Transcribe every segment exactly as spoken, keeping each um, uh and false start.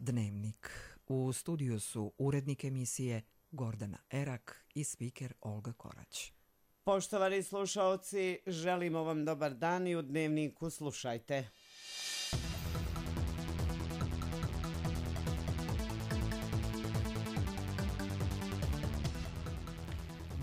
Dnevnik. U studiju su urednik emisije Gordana Erak i spiker Olga Korać. Poštovani slušaoci, želimo vam dobar dan i u Dnevniku slušajte.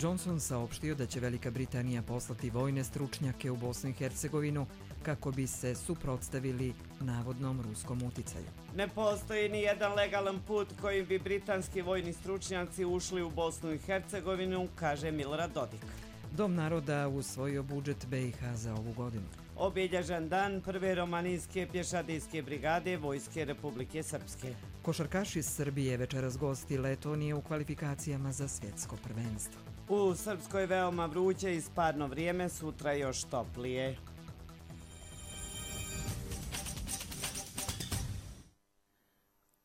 Johnson saopštio da će Velika Britanija poslati vojne stručnjake u Bosnu i Hercegovinu kako bi se suprotstavili navodnom ruskom uticaju. Ne postoji ni jedan legalan put kojim bi britanski vojni stručnjaci ušli u Bosnu i Hercegovinu, kaže Milorad Dodik. Dom naroda usvojio budžet B i H za ovu godinu. Obilježan dan prve romanijske pješadijske brigade Vojske Republike Srpske. Košarkaši Srbije večeras gosti Letonije u kvalifikacijama za svjetsko prvenstvo. U Srpskoj veoma vruće i sparno vrijeme, sutra još toplije.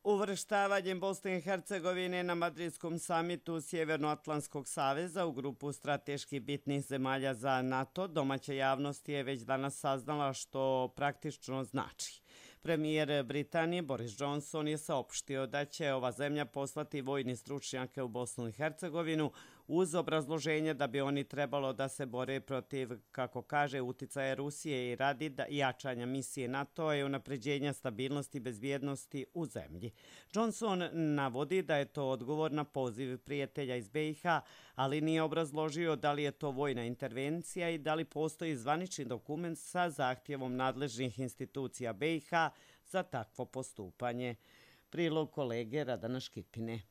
Uvrštavanjem Bosne i Hercegovine na Madridskom samitu Sjevernoatlantskog saveza u grupu strateški bitnih zemalja za NATO, domaća javnost je već danas saznala što praktično znači. Premijer Britanije Boris Johnson je saopštio da će ova zemlja poslati vojni stručnjake u Bosnu i Hercegovinu uz obrazloženje da bi oni trebalo da se bore protiv, kako kaže, uticaja Rusije i radi jačanja misije NATO i unapređenja stabilnosti i bezbjednosti u zemlji. Johnson navodi da je to odgovor na poziv prijatelja iz B i H, ali nije obrazložio da li je to vojna intervencija i da li postoji zvanični dokument sa zahtjevom nadležnih institucija B i H za takvo postupanje. Prilog kolege Radana Škipine.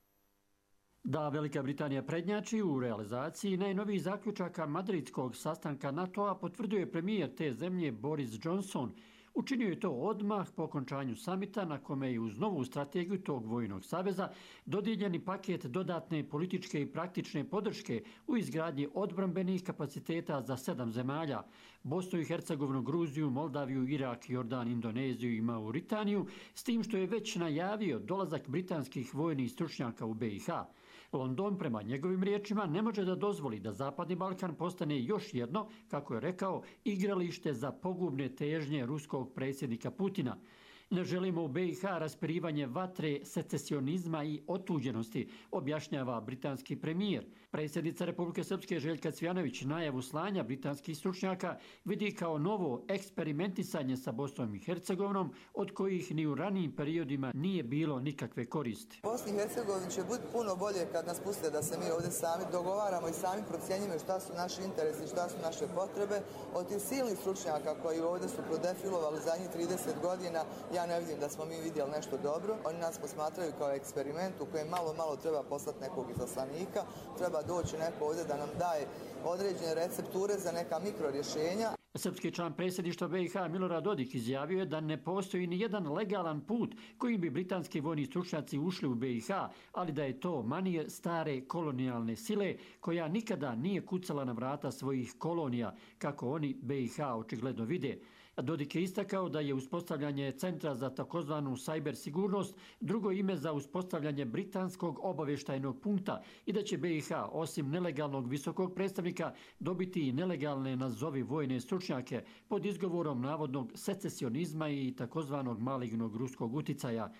Da Velika Britanija prednjači u realizaciji najnovijih zaključaka madridskog sastanka NATO-a potvrđuje premijer te zemlje Boris Johnson. Učinio je to odmah po okončanju samita na kome je uz novu strategiju tog vojnog saveza dodijeljeni paket dodatne političke i praktične podrške u izgradnji odbrambenih kapaciteta za sedam zemalja: Bosnu i Hercegovinu, Gruziju, Moldaviju, Irak, Jordan, Indoneziju i Mauritaniju, s tim što je već najavio dolazak britanskih vojnih stručnjaka u B i H. London, prema njegovim riječima, ne može da dozvoli da Zapadni Balkan postane još jedno, kako je rekao, igralište za pogubne težnje ruskog predsjednika Putina. Ne želimo u B i H raspirivanje vatre, secesionizma i otuđenosti, objašnjava britanski premijer. Predsjednica Republike Srpske Željka Cvjanović najavu slanja britanskih stručnjaka vidi kao novo eksperimentisanje sa Bosnom i Hercegovinom, od kojih ni u ranijim periodima nije bilo nikakve koristi. Bosni i Hercegovini će biti puno bolje kad nas puste da se mi ovdje sami dogovaramo i sami procjenjujemo šta su naši interesi, šta su naše potrebe. Od tih silnih stručnjaka koji ovdje su prodefilovali zadnjih trideset godina, ja ne vidim da smo mi vidjeli nešto dobro. Oni nas posmatraju kao eksperiment u kojem malo, malo treba poslati nekog izaslanika, treba doći neko ovdje da nam daje određene recepture za neka mikrorješenja. Srpski član predsjedništva B i H Milorad Dodik izjavio je da ne postoji ni jedan legalan put kojim bi britanski vojni stručnjaci ušli u B i H, ali da je to manir stare kolonijalne sile koja nikada nije kucala na vrata svojih kolonija, kako oni B i H očigledno vide. Dodik je istakao da je uspostavljanje centra za takozvanu cyber sigurnost drugo ime za uspostavljanje britanskog obavještajnog punkta i da će B i H osim nelegalnog visokog predstavnika dobiti i nelegalne nazovi vojne stručnjake pod izgovorom navodnog secesionizma i takozvanog malignog ruskog uticaja.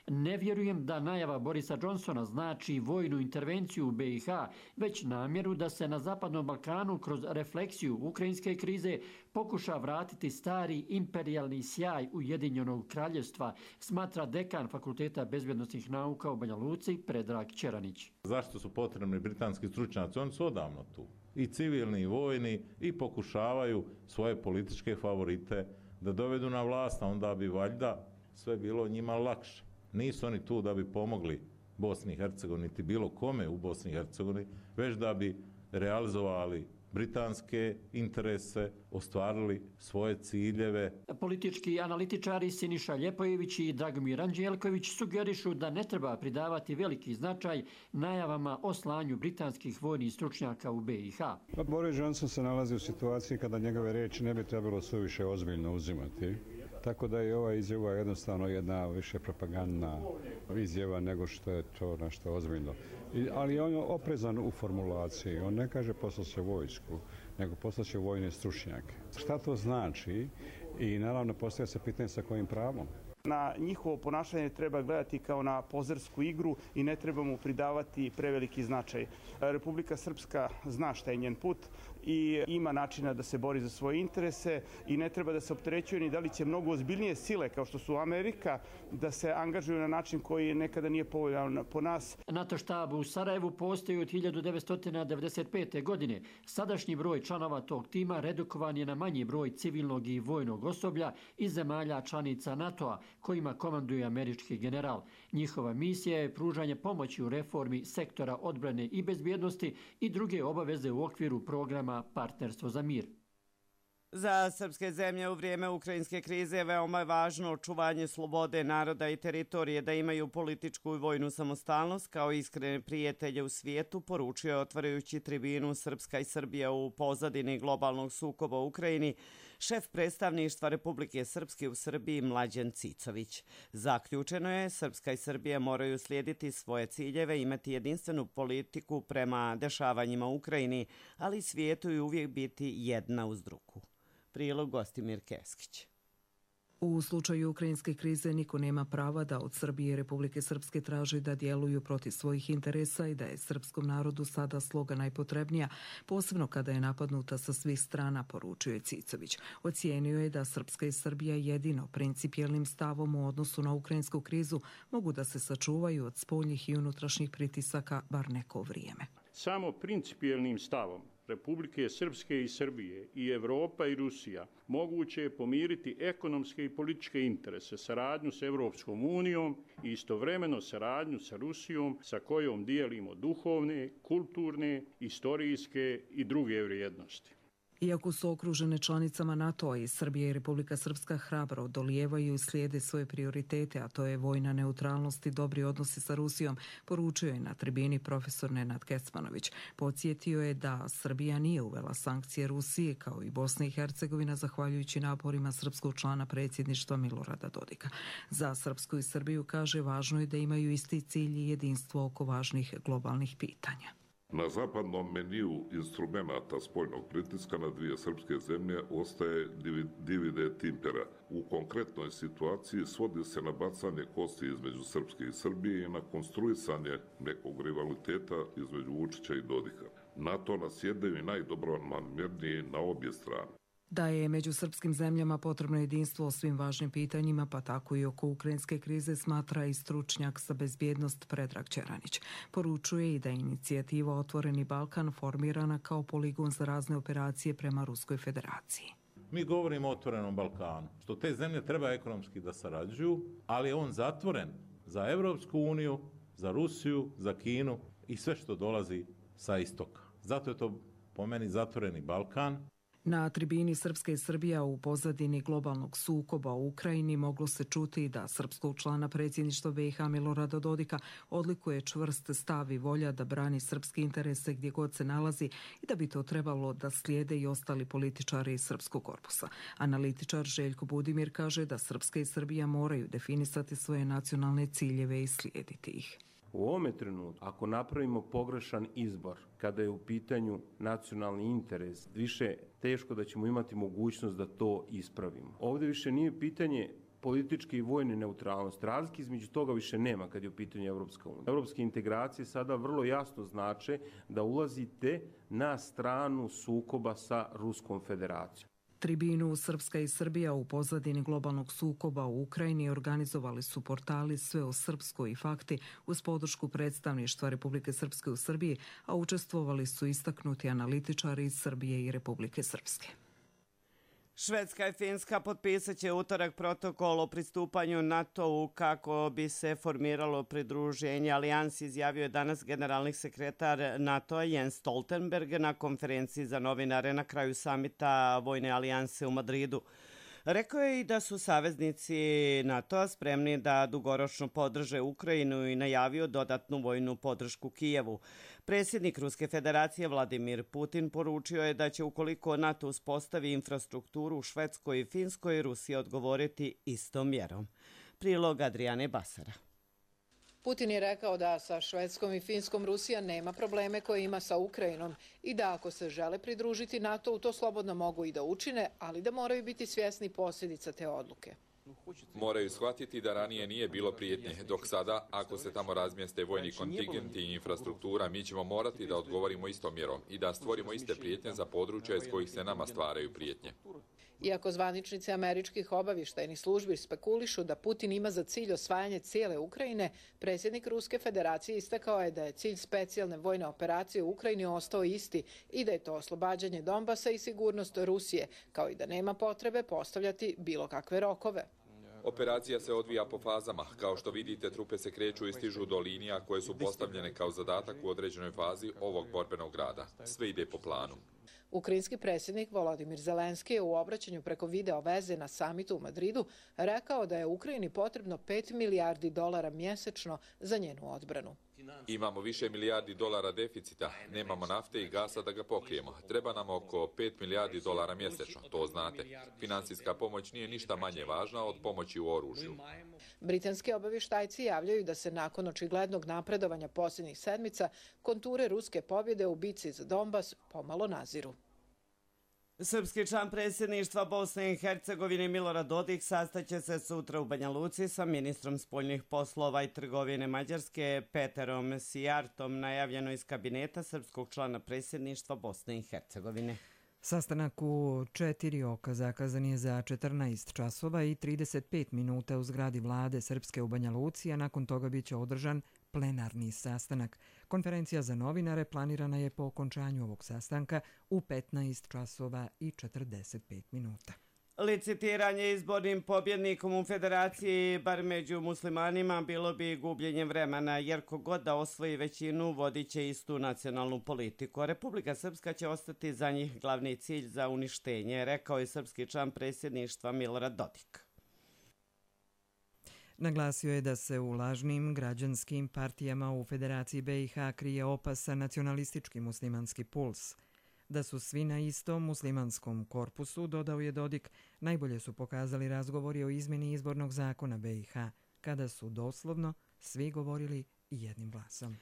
Ne vjerujem da najava Borisa Johnsona znači vojnu intervenciju u B i H, već namjeru da se na Zapadnom Balkanu kroz refleksiju ukrajinske krize pokuša vratiti stari imperijalni sjaj Ujedinjenog kraljevstva, smatra dekan Fakulteta bezbjednosnih nauka u Banja Luci Predrag Čeranić. Zašto su potrebni britanski stručnjaci? Oni su odavno tu. I civilni i vojni i pokušavaju svoje političke favorite da dovedu na vlast, a onda bi valjda sve bilo njima lakše. Nisu oni tu da bi pomogli Bosni i Hercegovini, niti bilo kome u Bosni i Hercegovini, već da bi realizovali britanske interese, ostvarili svoje ciljeve. Politički analitičari Siniša Ljepojević i Dragomir Anđelković sugerišu da ne treba pridavati veliki značaj najavama o slanju britanskih vojnih stručnjaka u B i H. Pa Boris Johnson se nalazi u situaciji kada njegove riječi ne bi trebalo suviše ozbiljno uzimati. Tako da je ova izjava jednostavno jedna više propagandna izjava nego što je to nešto ozbiljno. I, ali on je oprezan u formulaciji. On ne kaže poslaće vojsku, nego poslaće vojne stručnjake. Šta to znači? I naravno postavlja se pitanje sa kojim pravom. Na njihovo ponašanje treba gledati kao na pozersku igru i ne treba mu pridavati preveliki značaj. Republika Srpska zna šta je njen put i ima načina da se bori za svoje interese i ne treba da se opterećuje ni da li će mnogo ozbiljnije sile kao što su Amerika da se angažuju na način koji nekada nije povoljan po nas. NATO štab u Sarajevu postoji od hiljadu devetsto devedeset pete. godine. Sadašnji broj članova tog tima redukovan je na manji broj civilnog i vojnog osoblja iz zemalja članica NATO-a kojima komanduje američki general. Njihova misija je pružanje pomoći u reformi sektora odbrane i bezbjednosti i druge obaveze u okviru programa Partnerstvo za mir. Za srpske zemlje u vrijeme ukrajinske krize je veoma važno očuvanje slobode naroda i teritorije, da imaju političku i vojnu samostalnost kao iskrene prijatelje u svijetu, poručio je otvarajući tribinu Srpska i Srbija u pozadini globalnog sukoba u Ukrajini šef predstavništva Republike Srpske u Srbiji Mlađan Cicović. Zaključeno je, Srpska i Srbija moraju slijediti svoje ciljeve, imati jedinstvenu politiku prema dešavanjima u Ukrajini, ali i svijetu i uvijek biti jedna uz drugu. Prilog Gostimir Keskić. U slučaju ukrajinske krize niko nema prava da od Srbije i Republike Srpske traži da djeluju protiv svojih interesa i da je srpskom narodu sada sloga najpotrebnija, posebno kada je napadnuta sa svih strana, poručio je Cicović. Ocijenio je da Srpska i Srbija jedino principijelnim stavom u odnosu na ukrajinsku krizu mogu da se sačuvaju od spoljnih i unutrašnjih pritisaka bar neko vrijeme. Samo principijelnim stavom Republike Srpske i Srbije i Evropa i Rusija moguće je pomiriti ekonomske i političke interese, saradnju s Evropskom unijom i istovremeno saradnju sa Rusijom sa kojom dijelimo duhovne, kulturne, istorijske i druge vrijednosti. Iako su okružene članicama NATO-a i Srbija i Republika Srpska hrabro dolijevaju i slijede svoje prioritete, a to je vojna neutralnost i dobri odnosi sa Rusijom, poručio je na tribini profesor Nenad Kecmanović. Podsjetio je da Srbija nije uvela sankcije Rusije kao i Bosna i Hercegovina zahvaljujući naporima srpskog člana predsjedništva Milorada Dodika. Za Srpsku i Srbiju, kaže, važno je da imaju isti cilj i jedinstvo oko važnih globalnih pitanja. Na zapadnom meniju instrumenta spoljnog pritiska na dvije srpske zemlje ostaje divide et impera. U konkretnoj situaciji svodi se na bacanje kosti između Srpske i Srbije i na konstruisanje nekog rivaliteta između Vučića i Dodika. NATO nas jedaju i najdobronamjerniji na obje strane. Da je među srpskim zemljama potrebno jedinstvo o svim važnim pitanjima, pa tako i oko ukrajinske krize, smatra i stručnjak za bezbjednost Predrag Čeranić. Poručuje i da je inicijativa Otvoreni Balkan formirana kao poligon za razne operacije prema Ruskoj federaciji. Mi govorimo o Otvorenom Balkanu, što te zemlje treba ekonomski da sarađuju, ali je on zatvoren za Evropsku uniju, za Rusiju, za Kinu i sve što dolazi sa istoka. Zato je to po meni zatvoreni Balkan. Na tribini Srpska i Srbija u pozadini globalnog sukoba u Ukrajini moglo se čuti da srpskog člana predsjedništva B i H Milorada Dodika odlikuje čvrst stav i volja da brani srpske interese gdje god se nalazi i da bi to trebalo da slijede i ostali političari iz srpskog korpusa. Analitičar Željko Budimir kaže da Srpska i Srbija moraju definisati svoje nacionalne ciljeve i slijediti ih. U ovome trenutku, ako napravimo pogrešan izbor, kada je u pitanju nacionalni interes, više teško da ćemo imati mogućnost da to ispravimo. Ovdje više nije pitanje političke i vojne neutralnosti. Razlike između toga više nema kad je u pitanju Evropska unija. Evropske integracije sada vrlo jasno znače da ulazite na stranu sukoba sa Ruskom federacijom. Tribinu Srpska i Srbija u pozadini globalnog sukoba u Ukrajini organizovali su portali Sve o Srpskoj i Fakti uz podršku predstavništva Republike Srpske u Srbiji, a učestvovali su istaknuti analitičari iz Srbije i Republike Srpske. Švedska i Finska potpisat će utorak protokol o pristupanju NATO-u kako bi se formiralo pridruženje alijansi, izjavio je danas generalni sekretar NATO-a Jens Stoltenberg na konferenciji za novinare na kraju samita Vojne alijanse u Madridu. Rekao je i da su saveznici NATO-a spremni da dugoročno podrže Ukrajinu i najavio dodatnu vojnu podršku Kijevu. Predsjednik Ruske federacije Vladimir Putin poručio je da će ukoliko NATO uspostavi infrastrukturu u Švedskoj i Finskoj, Rusija odgovoriti istom mjerom. Prilog Adriane Basara. Putin je rekao da sa Švedskom i Finskom Rusija nema probleme koje ima sa Ukrajinom i da ako se žele pridružiti NATO-u, to slobodno mogu i da učine, ali da moraju biti svjesni posljedica te odluke. Moraju shvatiti da ranije nije bilo prijetnje, dok sada, ako se tamo razmjeste vojni kontingenti i infrastruktura, mi ćemo morati da odgovorimo istom mjerom i da stvorimo iste prijetnje za područja iz kojih se nama stvaraju prijetnje. Iako zvaničnici američkih obavještajnih službi spekulišu da Putin ima za cilj osvajanje cijele Ukrajine, predsjednik Ruske federacije istakao je da je cilj specijalne vojne operacije u Ukrajini ostao isti i da je to oslobađanje Donbasa i sigurnost Rusije, kao i da nema potrebe postavljati bilo kakve rokove. Operacija se odvija po fazama. Kao što vidite, trupe se kreću i stižu do linija koje su postavljene kao zadatak u određenoj fazi ovog borbenog rada. Sve ide po planu. Ukrajinski predsjednik Volodimir Zelenski je u obraćanju preko video veze na samitu u Madridu rekao da je Ukrajini potrebno pet milijardi dolara mjesečno za njenu odbranu. Imamo više milijardi dolara deficita, nemamo nafte i gasa da ga pokrijemo. Treba nam oko pet milijardi dolara mjesečno, to znate. Finansijska pomoć nije ništa manje važna od pomoći u oružju. Britanski obavještajci javljaju da se nakon očiglednog napredovanja posljednjih sedmica konture ruske pobjede u bici za Donbas pomalo naziru. Srpski član predsjedništva Bosne i Hercegovine Milorad Dodik sastaće se sutra u Banja Luci sa ministrom spoljnih poslova i trgovine Mađarske Peterom Sijartom, najavljeno iz kabineta srpskog člana predsjedništva Bosne i Hercegovine. Sastanak u četiri oka zakazan je za četrnaest časova i trideset pet minuta u zgradi vlade Srpske u Banja Luci, a nakon toga biće održan plenarni sastanak. Konferencija za novinare planirana je po okončanju ovog sastanka u petnaest časova i četrdeset pet minuta. Licitiranje izbornim pobjednikom u federaciji, bar među muslimanima, bilo bi gubljenje vremena, jer kogod da osvoji većinu vodit će istu nacionalnu politiku. A Republika Srpska će ostati za njih glavni cilj za uništenje, rekao je srpski član predsjedništva Milorad Dodik. Naglasio je da se u lažnim građanskim partijama u Federaciji be i ha krije opasan nacionalistički muslimanski puls. Da su svi na istom muslimanskom korpusu, dodao je Dodik, najbolje su pokazali razgovori o izmjeni izbornog zakona be i ha, kada su doslovno svi govorili jednim glasom.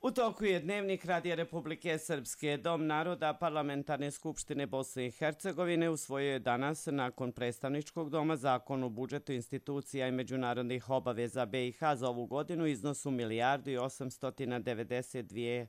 U toku je dnevnik Radija Republike Srpske. Dom naroda Parlamentarne skupštine Bosne i Hercegovine usvojio je danas, nakon predstavničkog doma, zakon o budžetu institucija i međunarodnih obaveza be i ha za ovu godinu iznosu milijardu i osamsto devedeset dvije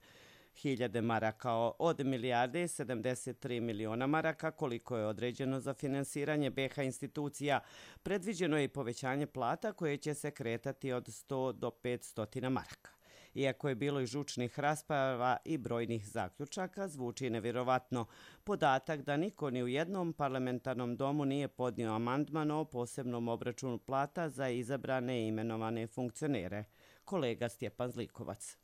hiljade maraka, od milijarde sedamdeset tri miliona maraka koliko je određeno za finansiranje be ha institucija. Predviđeno je i povećanje plata koje će se kretati od sto do petsto maraka. Iako je bilo i žučnih rasprava i brojnih zaključaka, zvuči nevjerovatno podatak da niko ni u jednom parlamentarnom domu nije podnio amandman o posebnom obračunu plata za izabrane i imenovane funkcionere. Kolega Stjepan Zlikovac.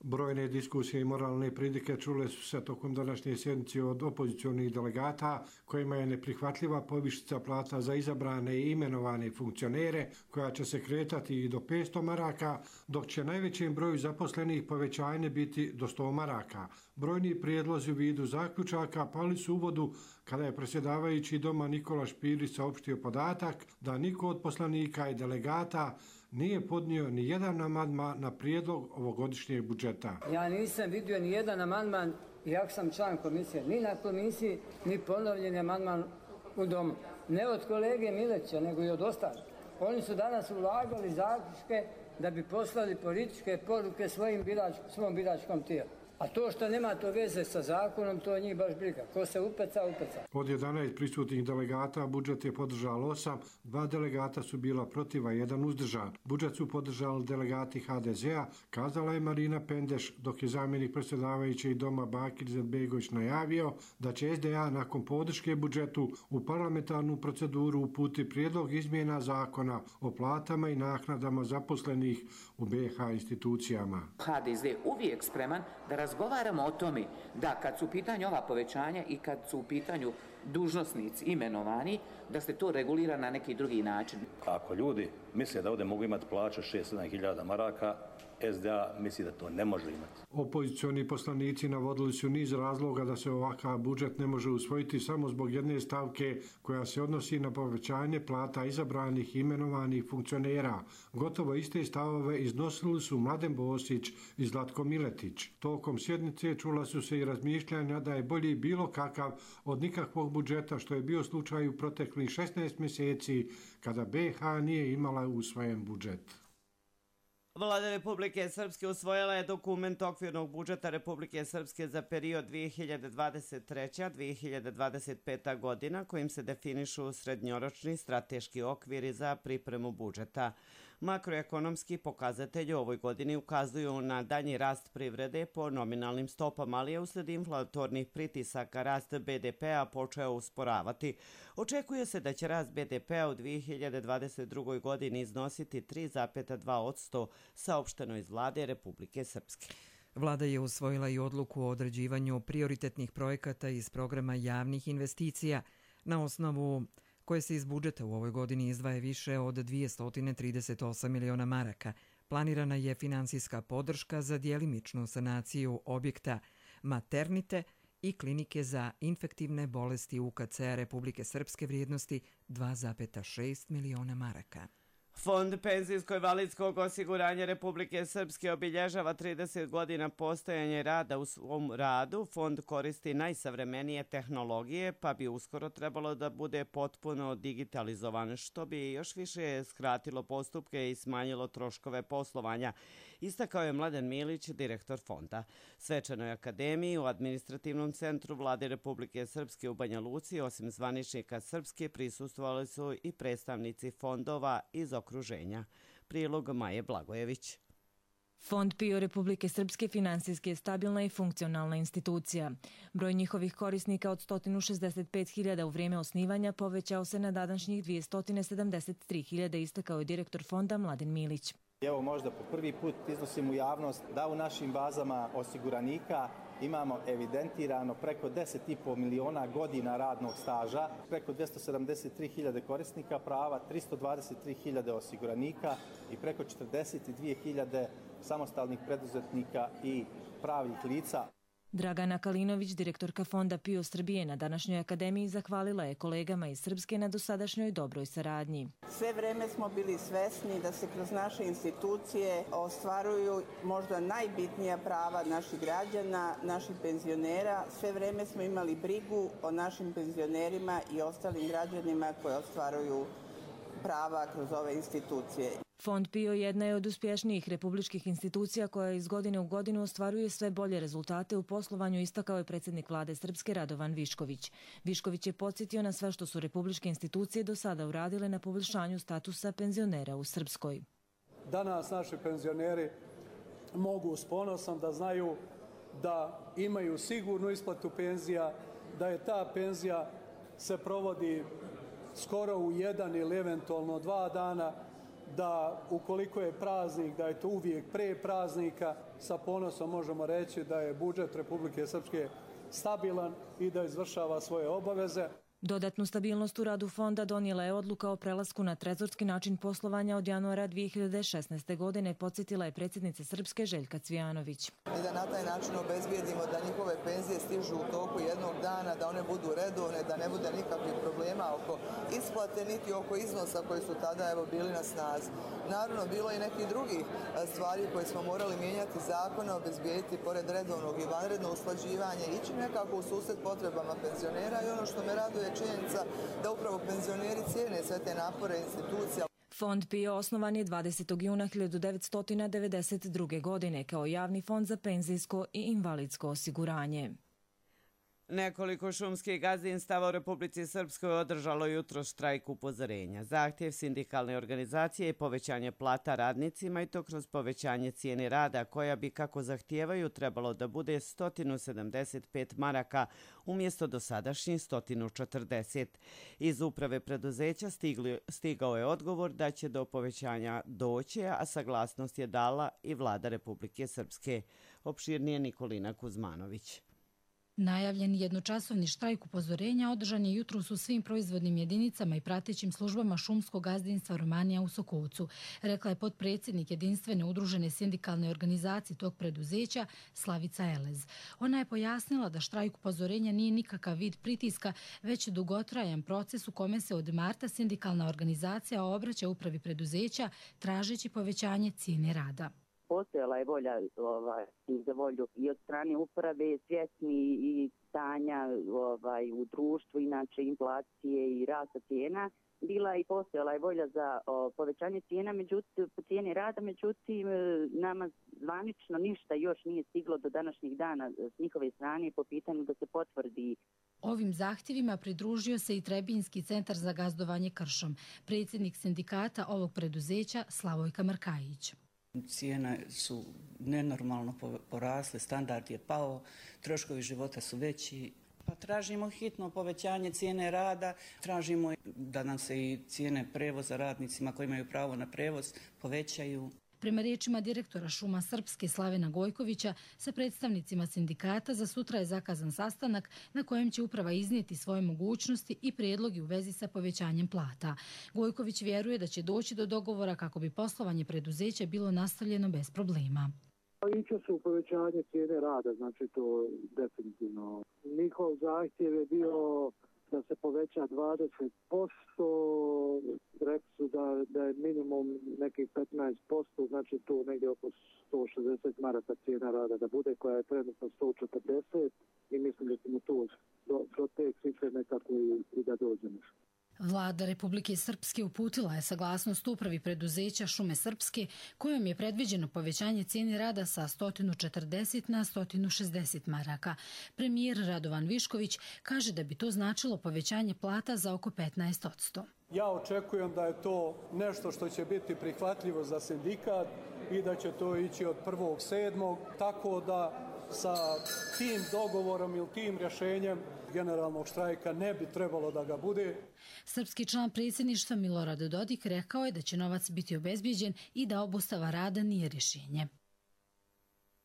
Brojne diskusije i moralne pridike čule su se tokom današnje sjednice od opozicionih delegata, kojima je neprihvatljiva povišica plata za izabrane i imenovane funkcionere, koja će se kretati i do petsto maraka, dok će najvećem broju zaposlenih povećanje biti do sto maraka. Brojni prijedlozi u vidu zaključaka pali su u vodu kada je predsjedavajući doma Nikola Špirić saopštio podatak da niko od poslanika i delegata nije podnio ni jedan amandman na prijedlog ovogodišnjeg budžeta. Ja nisam vidio ni jedan amandman, iako sam član komisije, ni na komisiji, ni ponovljen amandman u domu. Ne od kolege Mileća, nego i od ostalih. Oni su danas ulagali zaključke da bi poslali političke poruke svojim birač, svom biračkom tijelu. A to što nema to veze sa zakonom, to njih baš briga. Ko se upeca, upeca. Od jedanaest prisutnih delegata budžet je podržalo osam, dva delegata su bila protiv, a jedan uzdržan. Budžet su podržali delegati ha de zea, kazala je Marina Pendeš, dok je zamjenik predsjedavajućeg doma Bakir Izetbegović najavio da će es de a nakon podrške budžetu u parlamentarnu proceduru uputi prijedlog izmjena zakona o platama i naknadama zaposlenih u be ha institucijama. ha de ze uvijek spreman da razgovaramo o tome da kad su u pitanju ova povećanja i kad su u pitanju dužnosnici imenovani, da se to regulira na neki drugi način. Ako ljudi misle da ovdje mogu imati plaću šest do sedam hiljada maraka, S D A misli da to ne može imati. Opozicioni poslanici navodili su niz razloga da se ovakav budžet ne može usvojiti samo zbog jedne stavke koja se odnosi na povećanje plata izabranih i imenovanih funkcionera. Gotovo iste stavove iznosili su Mladen Bosić i Zlatko Miletić. Tokom sjednice čula su se i razmišljanja da je bolji bilo kakav od nikakvog budžeta, što je bio slučaj u proteklih šesnaest mjeseci kada B H nije imala usvojen budžet. Vlada Republike Srpske usvojila je dokument okvirnog budžeta Republike Srpske za period dvije hiljade dvadeset treća do dvije hiljade dvadeset peta godina kojim se definišu srednjoročni strateški okviri za pripremu budžeta. Makroekonomski pokazatelji u ovoj godini ukazuju na danji rast privrede po nominalnim stopama, ali je usled inflatornih pritisaka rast B D P-a počeo usporavati. Očekuje se da će rast B D P-a u dvije hiljade dvadeset drugoj godini iznositi tri zarez dva posto, saopšteno iz Vlade Republike Srpske. Vlada je usvojila i odluku o određivanju prioritetnih projekata iz programa javnih investicija na osnovu koje se iz budžeta u ovoj godini izdvaja više od dvjesto trideset osam miliona maraka. Planirana je finansijska podrška za djelimičnu sanaciju objekta maternite i klinike za infektivne bolesti U K C-a Republike Srpske vrijednosti dva zarez šest miliona maraka. Fond penzijsko-invalidskog osiguranja Republike Srpske obilježava trideset godina postojanja rada. U svom radu fond koristi najsavremenije tehnologije, pa bi uskoro trebalo da bude potpuno digitalizovan, što bi još više skratilo postupke i smanjilo troškove poslovanja, istakao je Mladen Milić, direktor fonda. Svečanoj akademiji u administrativnom centru Vlade Republike Srpske u Banja Luci, osim zvaničnika Srpske, prisustvovali su i predstavnici fondova iz okruženja. Prilog Maje Blagojević. Fond P I O Republike Srpske finansijski je stabilna i funkcionalna institucija. Broj njihovih korisnika od sto šezdeset pet hiljada u vrijeme osnivanja povećao se na današnjih dvjesto sedamdeset tri hiljade, istakao je direktor fonda Mladen Milić. Evo možda po prvi put iznosim u javnost da u našim bazama osiguranika imamo evidentirano preko deset i po miliona godina radnog staža, preko dvjesto sedamdeset tri hiljade korisnika prava, tristo dvadeset tri hiljade osiguranika i preko četrdeset dvije hiljade samostalnih preduzetnika i pravnih lica. Dragana Kalinović, direktorka fonda P I O Srbije, na današnjoj akademiji zahvalila je kolegama iz Srpske na dosadašnjoj dobroj saradnji. Sve vreme smo bili svesni da se kroz naše institucije ostvaruju možda najbitnija prava naših građana, naših penzionera. Sve vreme smo imali brigu o našim penzionerima i ostalim građanima koji ostvaruju prava kroz ove institucije. Fond P I O jedna je od uspješnijih republičkih institucija koja iz godine u godinu ostvaruje sve bolje rezultate u poslovanju, istakao je predsjednik Vlade Srpske Radovan Višković. Višković je podsjetio na sve što su republičke institucije do sada uradile na poboljšanju statusa penzionera u Srpskoj. Danas naši penzioneri mogu s ponosom da znaju da imaju sigurnu isplatu penzija, da je ta penzija se provodi skoro u jedan ili eventualno dva dana, da ukoliko je praznik, da je to uvijek pre praznika. Sa ponosom možemo reći da je budžet Republike Srpske stabilan i da izvršava svoje obaveze. Dodatnu stabilnost u radu fonda donijela je odluka o prelasku na trezorski način poslovanja od januara dvije hiljade šesnaeste. godine, podsjetila je predsjednica Srpske Željka Cvijanović. I da na taj način obezbijedimo da njihove penzije stižu u toku jednog dana, da one budu redovne, da ne bude nikakvih problema oko isplate niti oko iznosa koji su tada evo bili na snazi. Naravno, bilo je nekih drugih stvari koje smo morali mijenjati zakone, obezbijediti pored redovnog i vanredno usklađivanje, ići nekako u susret potrebama penzionera i ono što me raduje činjenica da upravo penzioneri cijene sve te napore institucija. Fond P I O osnovan je dvadesetog juna hiljadu devetsto devedeset druge. godine kao javni fond za penzijsko i invalidsko osiguranje. Nekoliko šumskih gazdinstava u Republici Srpskoj održalo jutro štrajk upozorenja. Zahtjev sindikalne organizacije je povećanje plata radnicima i to kroz povećanje cijene rada koja bi, kako zahtijevaju, trebalo da bude sto sedamdeset pet maraka umjesto dosadašnjih sto četrdeset. Iz uprave preduzeća stigli, stigao je odgovor da će do povećanja doći, a saglasnost je dala i Vlada Republike Srpske. Opširnije Nikolina Kuzmanović. Najavljeni jednočasovni štrajk upozorenja održan je jutros u svim proizvodnim jedinicama i pratećim službama šumskog gazdinstva Romanija u Sokovcu, rekla je potpredsjednik jedinstvene udružene sindikalne organizacije tog preduzeća Slavica Elez. Ona je pojasnila da štrajk upozorenja nije nikakav vid pritiska, već dugotrajan proces u kome se od marta sindikalna organizacija obraća upravi preduzeća tražeći povećanje cijene rada. Postojala je volja ovaj, za volju i od strane uprave, svjesni i stanja ovaj, u društvu, inače inflacije i rasta cijena. Bila i postojala je volja za o, povećanje cijena, međutim, cijene rada, međutim, nama zvanično ništa još nije stiglo do današnjih dana s njihove strane po pitanju da se potvrdi. Ovim zahtjevima pridružio se i Trebinjski centar za gazdovanje kršom, predsjednik sindikata ovog preduzeća Slavojka Markajić. Cijene su nenormalno porasle, standard je pao, troškovi života su veći. Pa tražimo hitno povećanje cijene rada, tražimo da nam se i cijene prevoza radnicima koji imaju pravo na prevoz povećaju. Prema riječima direktora Šuma Srpske Slavena Gojkovića, sa predstavnicima sindikata za sutra je zakazan sastanak na kojem će uprava iznijeti svoje mogućnosti i prijedlogi u vezi sa povećanjem plata. Gojković vjeruje da će doći do dogovora kako bi poslovanje preduzeća bilo nastavljeno bez problema. Iće se u povećanje cijene rada, znači to definitivno. Njihov zahtjev je bio da se poveća dvadeset posto, rekli su da, da je minimum nekih petnaest posto, znači tu negdje oko sto šezdeset maraka cijena rada da bude, koja je trenutno sto četrdeset i mislim da ćemo tu do, do te cifre nekako i, i da dođemo. Vlada Republike Srpske uputila je saglasnost upravi preduzeća Šume Srpske kojom je predviđeno povećanje cijene rada sa sto četrdeset na sto šezdeset maraka. Premijer Radovan Višković kaže da bi to značilo povećanje plata za oko petnaest posto. Ja očekujem da je to nešto što će biti prihvatljivo za sindikat i da će to ići od prvog sedmog, tako da sa tim dogovorom ili tim rješenjem generalnog štrajka ne bi trebalo da ga bude. Srpski član predsjedništva Milorad Dodik rekao je da će novac biti obezbijeđen i da obustava rada nije rješenje.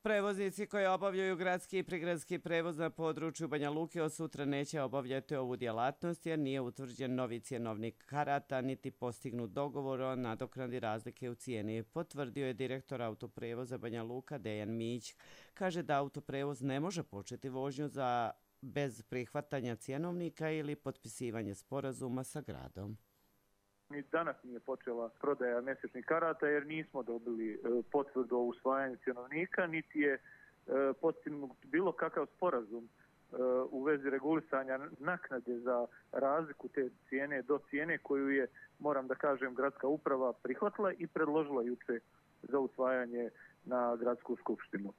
Prevoznici koji obavljaju gradski i prigradski prevoz na području Banja Luke od sutra neće obavljati ovu djelatnost jer nije utvrđen novi cjenovnik karata niti postignut dogovor o nadoknadi razlike u cijeni. Potvrdio je direktor autoprevoza Banja Luka Dejan Mić. Kaže da autoprevoz ne može početi vožnju za bez prihvatanja cjenovnika ili potpisivanja sporazuma sa gradom. Ni danas nije počela prodaja mjesečnih karata jer nismo dobili potvrdu o usvajanju cjenovnika, niti je postignut bilo kakav sporazum u vezi regulisanja naknade za razliku te cijene do cijene koju je, moram da kažem, gradska uprava prihvatila i predložila juče za usvajanje na gradsku skupštinu.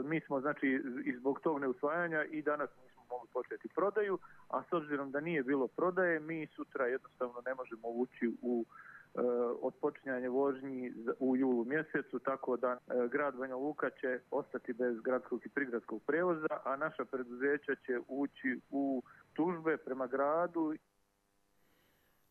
Mi smo, znači, i zbog tog neusvajanja i danas nismo mogli početi prodaju, a s obzirom da nije bilo prodaje, mi sutra jednostavno ne možemo ući u e, odpočinjanje vožnji u julu mjesecu, tako da e, grad Banja Luka će ostati bez gradskog i prigradskog prevoza, a naša preduzeća će ući u tužbe prema gradu.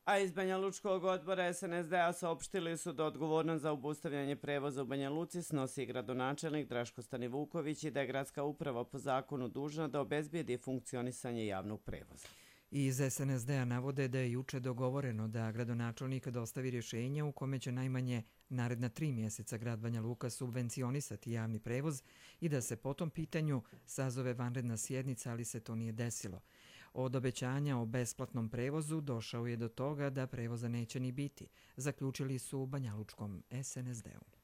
A iz Banja Lučkog odbora S N S D-a saopštili su da odgovornost za obustavljanje prevoza u Banja Luci snosi gradonačelnik Draško Stanivuković i da je gradska uprava po zakonu dužna da obezbijedi funkcionisanje javnog prevoza. Iz S N S D-a navode da je juče dogovoreno da gradonačelnik dostavi rješenje u kome će najmanje naredna tri mjeseca grad Banja Luka subvencionisati javni prevoz i da se po tom pitanju sazove vanredna sjednica, ali se to nije desilo. Od obećanja o besplatnom prevozu došao je do toga da prevoza neće ni biti, zaključili su u banjalučkom S N S D-u.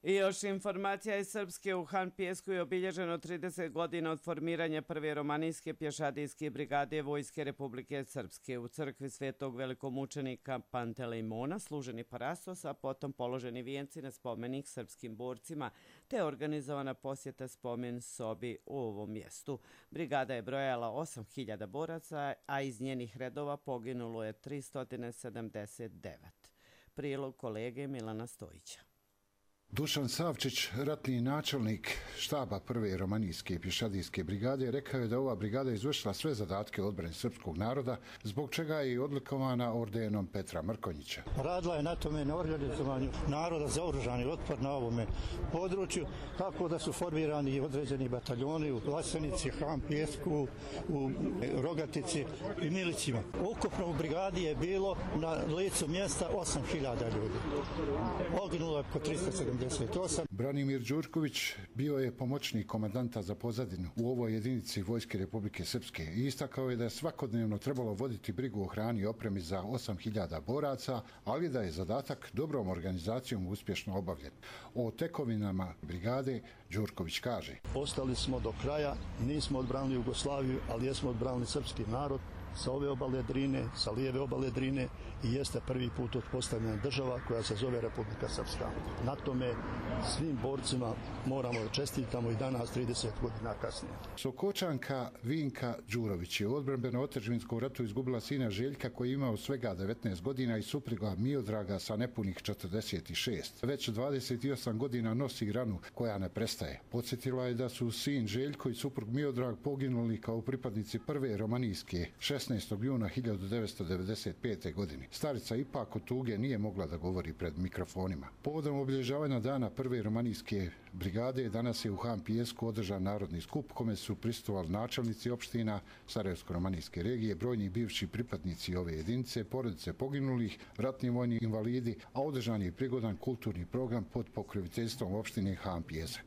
I još informacija iz Srpske. U Han Pijesku je obilježeno trideset godina od formiranja prve romanijske pješadijske brigade Vojske Republike Srpske. U crkvi svetog velikomučenika Pantelejmona služeni parastos, a potom položeni vijenci na spomenik srpskim borcima, te organizovana posjeta spomen sobi u ovom mjestu. Brigada je brojala osam hiljada boraca, a iz njenih redova poginulo je tristo sedamdeset devet. Prilog kolege Milana Stojića. Dušan Savčić, ratni načelnik štaba prve romanijske pješadijske brigade, rekao je da ova brigada izvršila sve zadatke odbrane srpskog naroda, zbog čega je i odlikovana ordenom Petra Mrkonjića. Radila je na tome na organizovanju naroda za oružani otpor na ovome području, tako da su formirani određeni bataljoni u Vlasenici, Han Pijesku, u Rogatici i Milićima. Ukupno u brigadi je bilo na licu mjesta osam hiljada ljudi. Poginulo je oko tristo sedamdeset. Branimir Đurković bio je pomoćnik komandanta za pozadinu u ovoj jedinici Vojske Republike Srpske i istakao je da je svakodnevno trebalo voditi brigu o hrani i opremi za osam hiljada boraca, ali da je zadatak dobrom organizacijom uspješno obavljen. O tekovinama brigade Đurković kaže: Ostali smo do kraja, nismo odbranili Jugoslaviju, ali jesmo odbranili srpski narod sa ove obale Drine, sa lijeve obale Drine i jeste prvi put uspostavljena država koja se zove Republika Srpska. Na tome svim borcima moramo da čestitamo i danas trideset godina kasnije. Sokočanka Vinka Đurović je u odbrambeno-otadžbinskom ratu izgubila sina Željka koji je imao svega devetnaest godina i supruga Miodraga sa nepunih četrdeset šest. Već dvadeset osam godina nosi ranu koja ne prestaje. Podsjetila je da su sin Željko i suprug Miodrag poginuli kao pripadnici prve romanijske šesnaestog juna hiljadu devetsto devedeset pete. godine. Starica ipak od tuge nije mogla da govori pred mikrofonima. Povodom obilježavanja dana prve romanijske brigade danas je u Han Pijesku održan narodni skup kome su prisustvovali načelnici opština Sarajevsko-romanijske regije, brojni bivši pripadnici ove jedinice, porodice poginulih, ratni vojni invalidi, a održan je prigodan kulturni program pod pokroviteljstvom opštine Han Pijesak.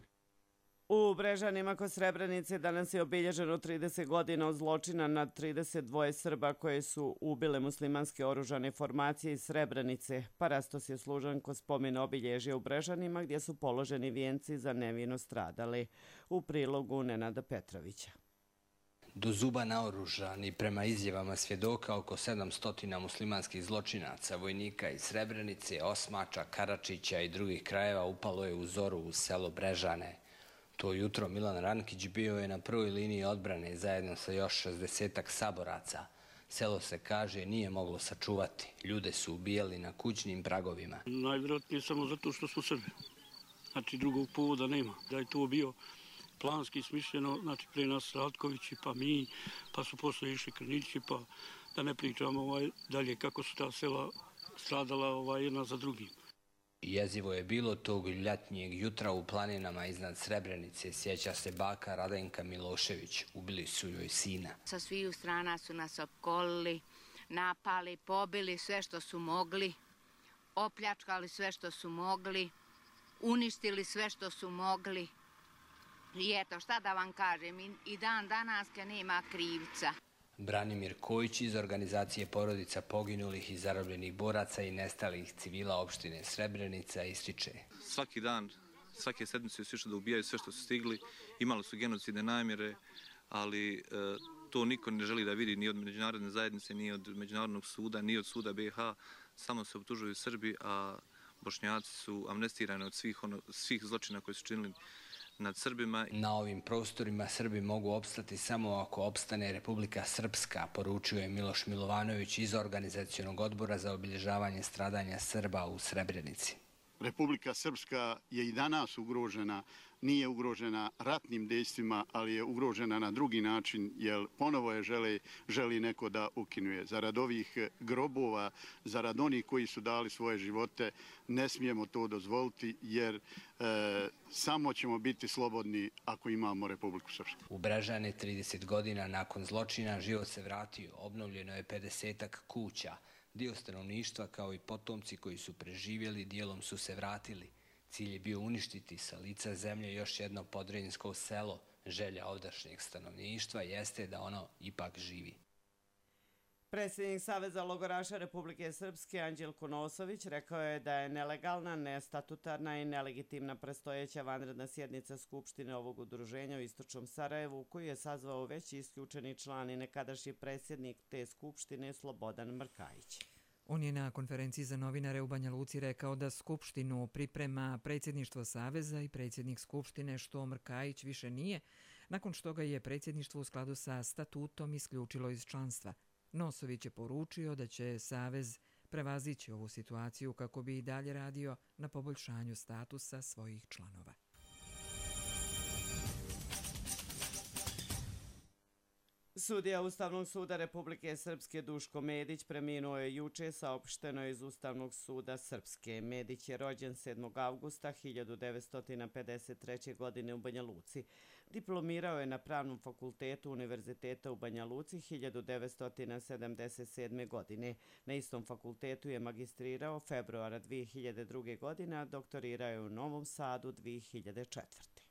U Brežanima kod Srebrenice danas je obilježeno trideset godina od zločina nad trideset dva Srba koje su ubile muslimanske oružane formacije iz Srebrenice. Parastos je služan kod spomen obilježja u Brežanima gdje su položeni vijenci za nevino stradali. U prilogu Nenada Petrovića. Do zuba naoružani prema izjavama svjedoka oko sedamsto muslimanskih zločinaca, vojnika iz Srebrenice, Osmača, Karačića i drugih krajeva upalo je u zoru u selo Brežane. To jutro Milan Rankić bio je na prvoj liniji odbrane zajedno sa još šezdesetak saboraca. Selo se, kaže, nije moglo sačuvati. Ljude su ubijali na kućnim pragovima. Najvjerojatnije samo zato što smo Srbi. Znači drugog povoda nema. Da je to bio planski smišljeno, znači pre nas Ratkovići, pa mi, pa su posle išli Krnići, pa da ne pričamo ovaj, dalje kako su ta sela stradala ovaj, jedna za drugim. Jezivo je bilo tog ljetnjeg jutra u planinama iznad Srebrenice, sjeća se baka Radenka Milošević. Ubili su joj sina. Sa sviju strana su nas opkolili, napali, pobili sve što su mogli, opljačkali sve što su mogli, uništili sve što su mogli. I eto, šta da vam kažem, i dan danaska nema krivca. Branimir Kojić iz organizacije porodica poginulih i zarobljenih boraca i nestalih civila opštine Srebrenica ističe: Svaki dan, svake sedmice su išli da ubijaju sve što su stigli, imali su genocidne namjere, ali e, to niko ne želi da vidi ni od međunarodne zajednice, ni od Međunarodnog suda, ni od suda B iH, samo se optužuju Srbi, a Bošnjaci su amnestirani od svih, ono, svih zločina koje su činili nad Srbima. Na ovim prostorima Srbi mogu opstati samo ako opstane Republika Srpska, poručio je Miloš Milovanović iz Organizacionog odbora za obilježavanje stradanja Srba u Srebrenici. Republika Srpska je i danas ugrožena, nije ugrožena ratnim dejstvima, ali je ugrožena na drugi način, jer ponovo je želi, želi neko da ukinuje. Zarad ovih grobova, zarad onih koji su dali svoje živote, ne smijemo to dozvoliti, jer e, samo ćemo biti slobodni ako imamo Republiku Srpsku. U Brežane trideset godina nakon zločina život se vratio, obnovljeno je pedesetak kuća. Dio stanovništva kao i potomci koji su preživjeli dijelom su se vratili. Cilj je bio uništiti sa lica zemlje još jedno podrinjsko selo. Želja ovdašnjeg stanovništva jeste da ono ipak živi. Predsjednik Saveza logoraša Republike Srpske Anđelko Nosović rekao je da je nelegalna, nestatutarna i nelegitimna predstojeća vanredna sjednica Skupštine ovog udruženja u Istočnom Sarajevu, koju je sazvao već isključeni član i nekadašnji predsjednik te Skupštine Slobodan Mrkajić. On je na konferenciji za novinare u Banja Luci rekao da Skupštinu priprema predsjedništvo Saveza i predsjednik Skupštine, što Mrkajić više nije, nakon što ga je predsjedništvo u skladu sa statutom isključilo iz članstva. Nosović je poručio da će Savez prevazići ovu situaciju kako bi i dalje radio na poboljšanju statusa svojih članova. Sudija Ustavnog suda Republike Srpske Duško Medić preminuo je juče, saopšteno je iz Ustavnog suda Srpske. Medić je rođen sedmog avgusta hiljadu devetsto pedeset treće. godine u Banja Luci. Diplomirao je na Pravnom fakultetu Univerziteta u Banja Luci hiljadu devetsto sedamdeset sedme. godine. Na istom fakultetu je magistrirao februara dvije hiljade druge. godine, a doktorirao je u Novom Sadu dvije hiljade četvrte.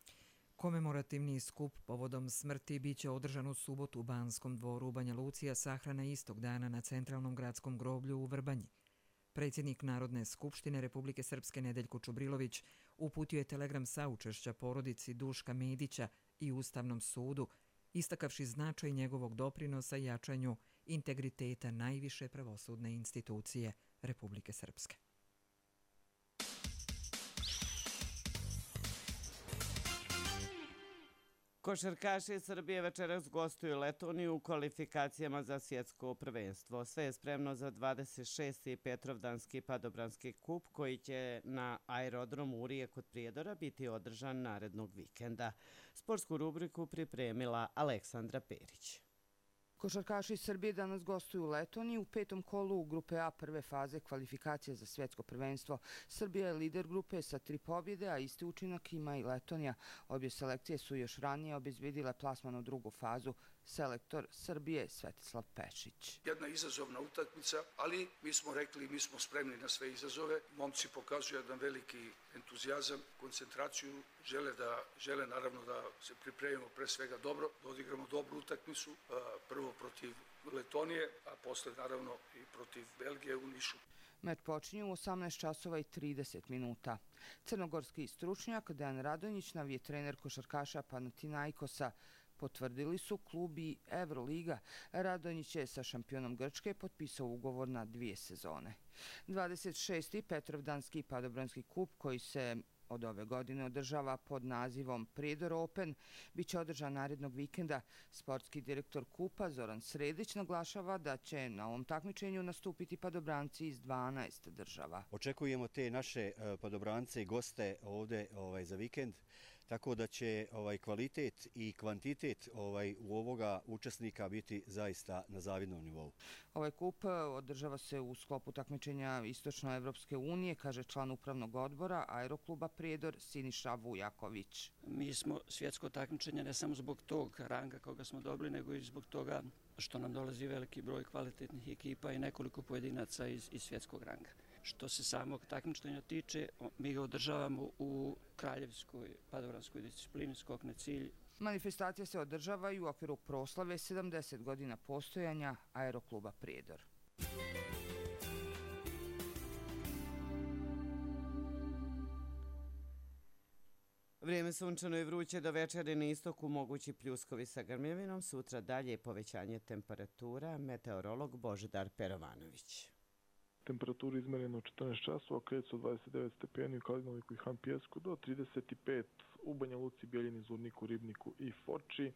Komemorativni skup povodom smrti biće održan u subotu u Banskom dvoru u Banja Luci, a sahrana istog dana na Centralnom gradskom groblju u Vrbanji. Predsjednik Narodne skupštine Republike Srpske Nedeljko Čubrilović uputio je telegram saučešća porodici Duška Medića i Ustavnom sudu, istakavši značaj njegovog doprinosa jačanju integriteta najviše pravosudne institucije Republike Srpske. Košarkaši Srbije večeras gostuju Letoniju u kvalifikacijama za svjetsko prvenstvo. Sve je spremno za dvadeset šesti Petrovdanski padobranski kup koji će na aerodromu Urije kod Prijedora biti održan narednog vikenda. Sportsku rubriku pripremila Aleksandra Perić. Košarkaši Srbije danas gostuju u Letoniji u petom kolu u grupe A prve faze kvalifikacije za svjetsko prvenstvo. Srbija je lider grupe sa tri pobjede, a isti učinak ima i Letonija. Obje selekcije su još ranije obezbedile plasman u drugu fazu. Selektor Srbije Svetislav Pešić. Jedna izazovna utakmica, ali mi smo rekli, mi smo spremni na sve izazove. Momci pokazuju jedan veliki entuzijazam, koncentraciju, žele da žele naravno da se pripremimo pre svega dobro, da odigramo dobru utakmicu, prvo protiv Letonije, a posle naravno i protiv Belgije u Nišu. Meč počinje u osamnaest časova i trideset minuta. Crnogorski stručnjak Dejan Radonjić, novi je trener košarkaša Panathinaikosa. Potvrdili su klub i Euroliga. Radonjić je sa šampionom Grčke potpisao ugovor na dvije sezone. dvadeset šesti Petrovdanski padobranski kup koji se od ove godine održava pod nazivom Prijedor Open biće održan narednog vikenda. Sportski direktor kupa Zoran Sredić naglašava da će na ovom takmičenju nastupiti padobranci iz dvanaest država. Očekujemo te naše padobrance i goste ovde ovaj, za vikend, tako da će ovaj, kvalitet i kvantitet ovaj, u ovoga učesnika biti zaista na zavidnom nivou. Ovaj kup održava se u sklopu takmičenja Istočnoevropske unije, kaže član upravnog odbora Aerokluba Prijedor Siniša Vujaković. Mi smo svjetsko takmičenje ne samo zbog tog ranga koga smo dobili, nego i zbog toga što nam dolazi veliki broj kvalitetnih ekipa i nekoliko pojedinaca iz, iz svjetskog ranga. Što se samog takmičenja tiče, mi ga održavamo u kraljevskoj padobranskoj disciplini skok na cilj. Manifestacija se održava i u okviru proslave sedamdeset godina postojanja Aerokluba Prijedor. Vrijeme sunčano i vruće, do večeri na istoku mogući pljuskovi sa grmljevinom, sutra dalje povećanje temperatura, meteorolog Božidar Perovanović. Temperaturi izmereno četrnaest časova, kreću od dvadeset devet stepeni u Kalinoviku i Han Pjesku do trideset pet u Banja Luci, Bijeljini, Zvorniku, Ribniku i Foči.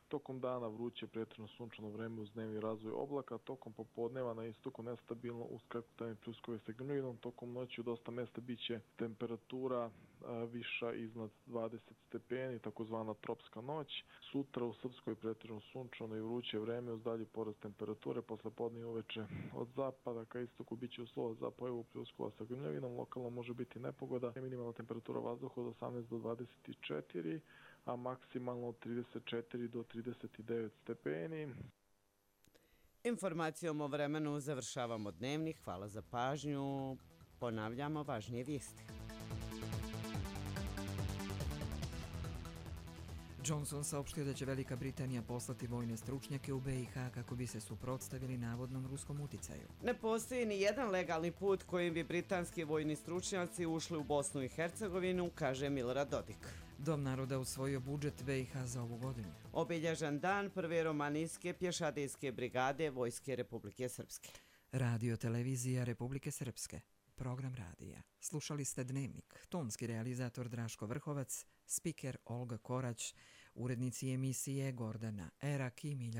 Tokom dana vruće pretjerano sunčano vreme uz dnevni razvoj oblaka, tokom popodneva na istoku nestabilno uz krekotanje pljuskove sa grmljevinom, tokom noći u dosta mjesta biće temperatura a, viša iznad dvadeset stepeni, takozvana tropska noć. Sutra u Srpskoj pretjerano sunčano i vruće vreme uz dalji porast temperature, posle podne i uveče od zapada ka istoku biće uslova za pojavu pljuskova sa grmljevinom, lokalno može biti nepogoda, minimalna temperatura vazduha od osamnaest do dvadeset četiri, a maksimalno od trideset četiri do trideset devet stepeni. Informacijom o vremenu završavamo dnevnik. Hvala za pažnju. Ponavljamo važnije vijesti. Johnson saopštio da će Velika Britanija poslati vojne stručnjake u B i H kako bi se suprotstavili navodnom ruskom uticaju. Ne postoji ni jedan legalni put kojim bi britanski vojni stručnjaci ušli u Bosnu i Hercegovinu, kaže Milorad Dodik. Dom naroda usvojio budžet B i H za ovu godinu. Obilježen dan prve romanijske pješadijske brigade Vojske Republike Srpske. Radio televizija Republike Srpske. Program radija. Slušali ste Dnevnik. Tonski realizator Draško Vrhovac, spiker Olga Korać, urednici emisije Gordana Erak i Milja